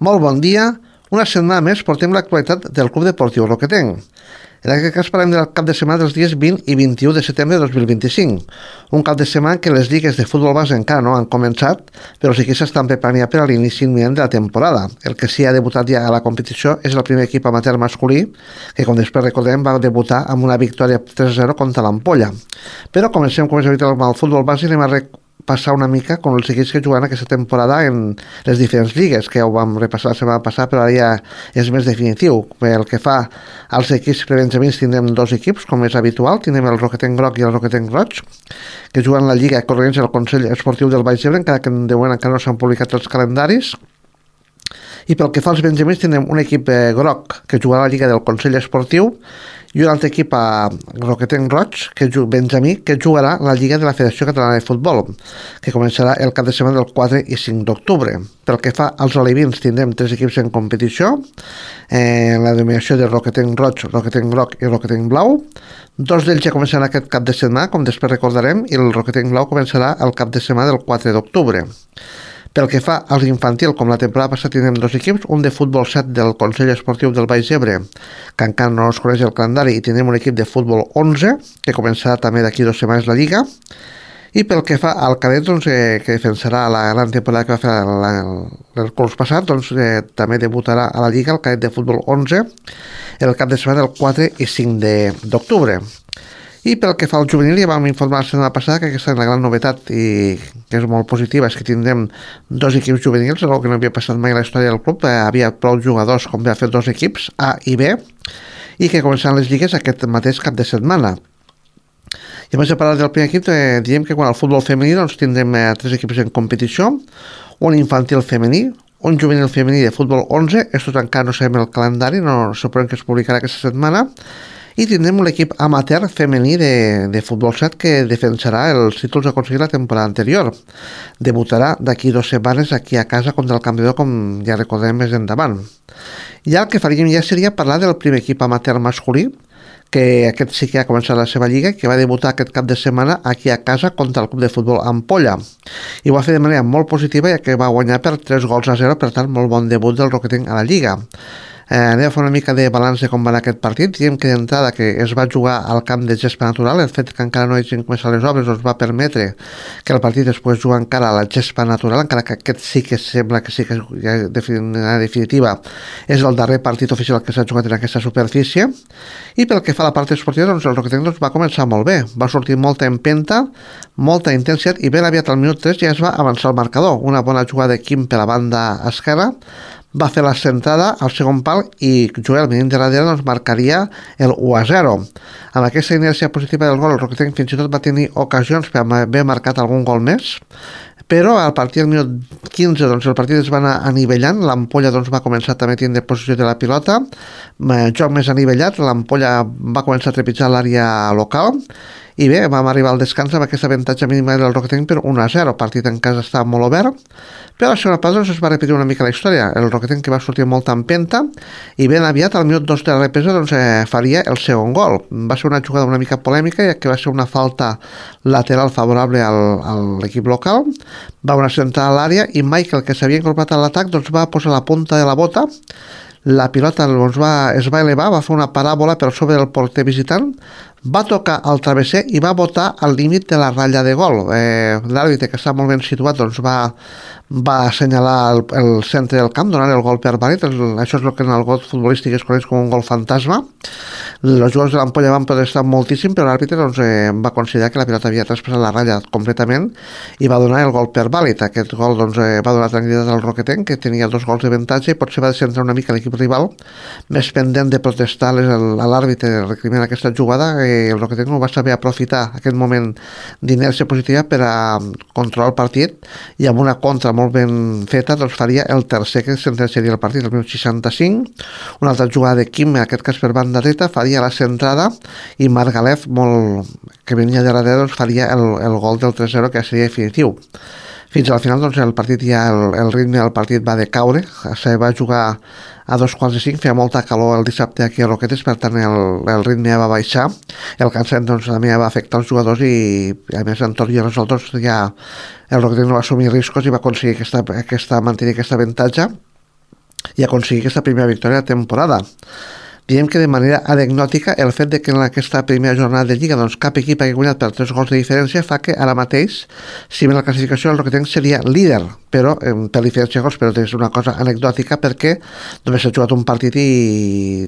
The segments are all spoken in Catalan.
Molt bon dia. Una setmana més portem l'actualitat del Club Deportiu Roquetenc. En aquest cas parlem del cap de setmana dels dies 20 i 21 de setembre de 2025. Un cap de setmana que les lligues de futbol base encara no han començat, però sí que s'estan preparant ja per a l'inici imminent de la temporada. El que sí ha debutat ja a la competició és el primer equip amateur masculí, que com després recordem va debutar amb una victòria 3-0 contra l'Ampolla. Però comencem, com és habitual, amb el futbol base i anem a passar una mica com els equips que juguen aquesta temporada en les diferents lligues, que ja ho vam repassar la setmana passada, però ara ja és més definitiu. Pel que fa als equips prebenjamins, tindrem dos equips, com és habitual. Tindrem el Roquetenc Groc i el Roquetenc Roig, que juguen la Lliga Corregents al Consell Esportiu del Baix Ebre, encara que de moment encara no s'han publicat els calendaris. I pel que fa als benjamins, tindrem un equip groc que jugarà a la Lliga del Consell Esportiu i un altre equip a Roquetenc Roig, benjamí, que jugarà la Lliga de la Federació Catalana de Futbol, que començarà el cap de setmana del 4 i 5 d'octubre. Pel que fa als alevins, tindrem tres equips en competició, en la denominació de Roquetenc Roig, Roquetenc Groc i Roquetenc Blau. Dos d'ells ja començaran aquest cap de setmana, com després recordarem, i el Roquetenc Blau començarà el cap de setmana del 4 d'octubre. Pel que fa als infantil, com la temporada passada tindrem dos equips, un de futbol 7 del Consell Esportiu del Baix Ebre, que encara no es coneix el calendari, i tindrem un equip de futbol 11, que començarà també d'aquí 2 setmanes la Lliga. I pel que fa al cadet, doncs, que defensarà la gran temporada que va fer el curs passat, doncs, també debutarà a la Lliga el cadet de futbol 11 el cap de setmana del 4 i 5 d'octubre. I pel que fa al juvenil, ja vam informar la setmana passada que aquesta és la gran novetat i que és molt positiva, és que tindrem dos equips juvenils, el que no havia passat mai a la història del club. Havia prou jugadors com per fer dos equips, A i B, i que començaran les lligues aquest mateix cap de setmana. I abans de parlar del primer equip, diem que quan al futbol femení doncs, tindrem tres equips en competició, un infantil femení, un juvenil femení de futbol 11, estos encara no sabem el calendari, no suposem que es publicarà aquesta setmana, i tindrem un equip amateur femení de futbol 7 que defensarà els títols aconseguits la temporada anterior. Debutarà d'aquí 2 setmanes aquí a casa contra el Camprodon, com ja recordem més endavant. I el que faríem ja seria parlar del primer equip amateur masculí, que aquest sí que ha començat la seva lliga, que va debutar aquest cap de setmana aquí a casa contra el club de futbol Ampolla. I ho va fer de manera molt positiva, ja que va guanyar per 3-0, per tant, molt bon debut del Roquetenc a la lliga. Anem a fer una mica de balanç de com va anar aquest partit. Diem que d'entrada que es va jugar al camp de gespa natural, el fet que encara no hagin començat les obres doncs va permetre que el partit es pogués jugar encara a la gespa natural, encara que aquest sí que sembla que sí que ja en definitiva és el darrer partit oficial que s'ha jugat en aquesta superfície. I pel que fa a la part esportiva, doncs el Roquetenc va començar molt bé, va sortir molta empenta, molta intensitat, i ben aviat al minut 3 ja es va avançar el marcador. Una bona jugada de Quim per la banda esquerra, va fer la centrada al segon pal i Joel, venint de darrere, doncs marcaria el 1-0. Amb aquesta inèrcia positiva del gol, el Roquetenc fins i tot va tenir ocasions per haver marcat algun gol més, però al partir del minut 15 doncs, el partit es va anar anivellant, l'Ampolla doncs, va començar també a tindre possessió de la pilota, joc més anivellat, l'Ampolla va començar a trepitjar l'àrea local, i bé, vam arribar al descans amb aquesta avantatge mínima del Roquetenc per 1-0. El partit en casa estava molt obert, però a la segona part doncs, es va repetir una mica la història. El Roquetenc que va sortir molta empenta i ben aviat al minut 2 de la represa doncs, faria el segon gol. Va ser una jugada una mica polèmica, ja que va ser una falta lateral favorable a l'equip local, va una centrada a l'àrea i Michael, que s'havia incorporat a l'atac, doncs, va posar la punta de la bota, la pilota doncs, es va elevar, va fer una paràbola per sobre del porter visitant, va tocar al travesser i va botar al límit de la ratlla de gol. L'àrbitre, que està molt ben situat, doncs va assenyalar el centre del camp, donant el gol per vàlid. Això és el que en el gol futbolístic es coneix com un gol fantasma. Els jugadors de l'Ampolla van protestar moltíssim, però l'àrbitre doncs, va considerar que la pilota havia traspassat la ratlla completament i va donar el gol per vàlid. Aquest gol doncs, va donar tranquil·litat al Roquetenc, que tenia 2 gols d'avantatge, i potser va descentrar una mica l'equip rival, més pendent de protestar a l'àrbitre recriminant aquesta jugada. El Roquetenc no va saber aprofitar aquest moment d'inèrcia positiva per a controlar el partit, i amb una contra molt ben feta doncs faria el tercer que sentenciaria el partit, el minut 65. Una altra jugada de Quim, en aquest cas per banda dreta, faria la centrada, i Margalef, que venia de darrere, doncs faria el gol del 3-0, que seria definitiu. Fins al final doncs, el partit ja el ritme del partit va decaure, se va jugar a 2:45, feia molta calor el dissabte aquí a Roquetes, per tant el ritme va baixar, el cansament doncs, també va afectar els jugadors, i a més en tots i els altres ja el Roquetes no va assumir riscos i va aconseguir mantenir aquesta avantatge. i aconseguir aquesta primera victòria de temporada. Diem que de manera anecdòtica el fet de que en aquesta primera jornada de Lliga doncs, cap equip hagi guanyat per 3 gols de diferència fa que ara mateix, si bé la classificació el Roquetenc seria líder, però per diferència de gols, però és una cosa anecdòtica perquè només s'ha jugat un partit i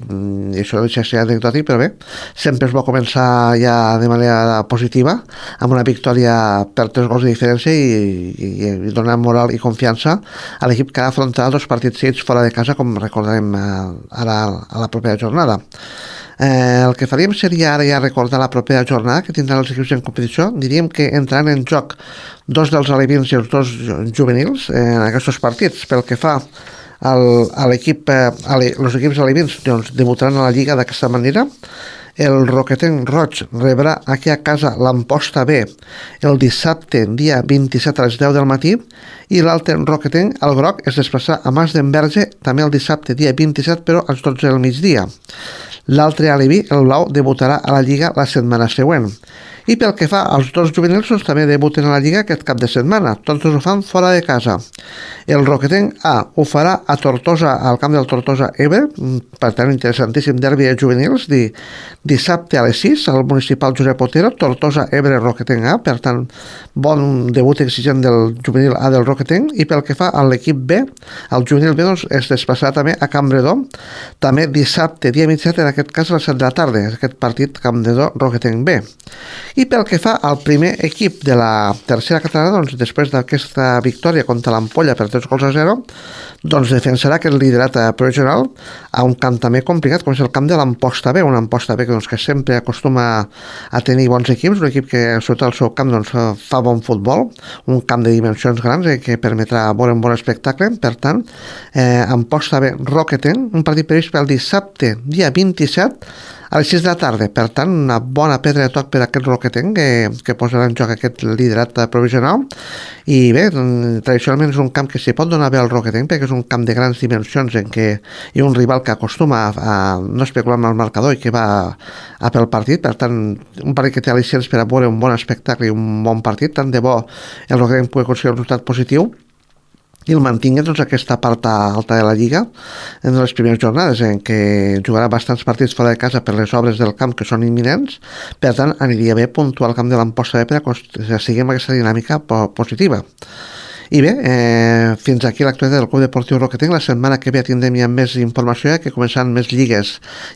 això deixa de ser anecdòtic, però bé, sempre es va començar ja de manera positiva amb una victòria per 3 gols de diferència i donar moral i confiança a l'equip que ha afrontat 2 partits seguits fora de casa, com recordarem ara a la propera jornada. El que faríem seria ara ja recordar la propera jornada que tindran els equips en competició. Diríem que entraran en joc 2 dels alevins i els 2 juvenils en aquests partits. Pel que fa a l'equip, els equips alevins doncs, debutaran a la Lliga d'aquesta manera. El Roquetenc Roig rebrà aquí a casa l'Amposta B el dissabte, dia 27 a les 10 del matí, i l'altre Roquetenc, el groc, es desplaçarà a Mas d'Enverge també el dissabte, dia 27, però als 12 del migdia. L'altre aleví, el blau, debutarà a la Lliga la setmana següent. I pel que fa als 2 juvenils, doncs, també debuten a la Lliga aquest cap de setmana. Tots ho fan fora de casa. El Roquetenc A ho farà a Tortosa, al camp del Tortosa Ebre, per tant, interessantíssim derbi de juvenils, dissabte a les 6, al municipal Josep Otero, Tortosa Ebre Roquetenc A, per tant, bon debut exigent del juvenil A del Roquetenc. I pel que fa a l'equip B, el juvenil B doncs, es desplaçarà també a Campredó, també dissabte, dia 27, en aquest cas a les 7 de la tarda, aquest partit Campredó Roquetenc B. I pel que fa al primer equip de la tercera catalana, doncs, després d'aquesta victòria contra l'Ampolla per 3-0, doncs defensarà aquest liderat provisional a un camp també complicat, com és el camp de l'Amposta B, una Amposta B doncs, que sempre acostuma a tenir bons equips, un equip que sobretot al seu camp doncs, fa bon futbol, un camp de dimensions grans que permetrà veure un bon espectacle. Per tant, Amposta B Roquetenc, un partit previst pel dissabte, dia 27, a les 6 de la tarda. Per tant, una bona pedra de toc per aquest Roquetenc que posarà en joc aquest liderat provisional. I bé, tradicionalment és un camp que s'hi pot donar bé al Roquetenc perquè és un camp de grans dimensions en què hi ha un rival que acostuma a no especular amb el marcador i que va a pel partit. Per tant, un partit que té al·licients per a veure un bon espectacle i un bon partit. Tant de bo el Roquetenc pugui aconseguir un resultat positiu i el mantingui doncs, aquesta part alta de la Lliga en les primeres jornades en què jugarà bastants partits fora de casa per les obres del camp que són imminents. Per tant, aniria bé puntuar el camp de l'Amposta B per a seguir amb aquesta dinàmica positiva. I bé, fins aquí l'actualitat del Club Deportiu Roquetenc. La setmana que ve tindrem ja més informació, que començaran més lligues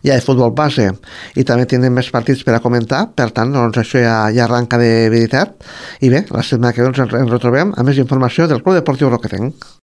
ja de futbol base i també tindrem més partits per a comentar. Per tant, doncs, això ja arranca de veritat. I bé, la setmana que ve ens retrobem amb més informació del Club Deportiu Roquetenc.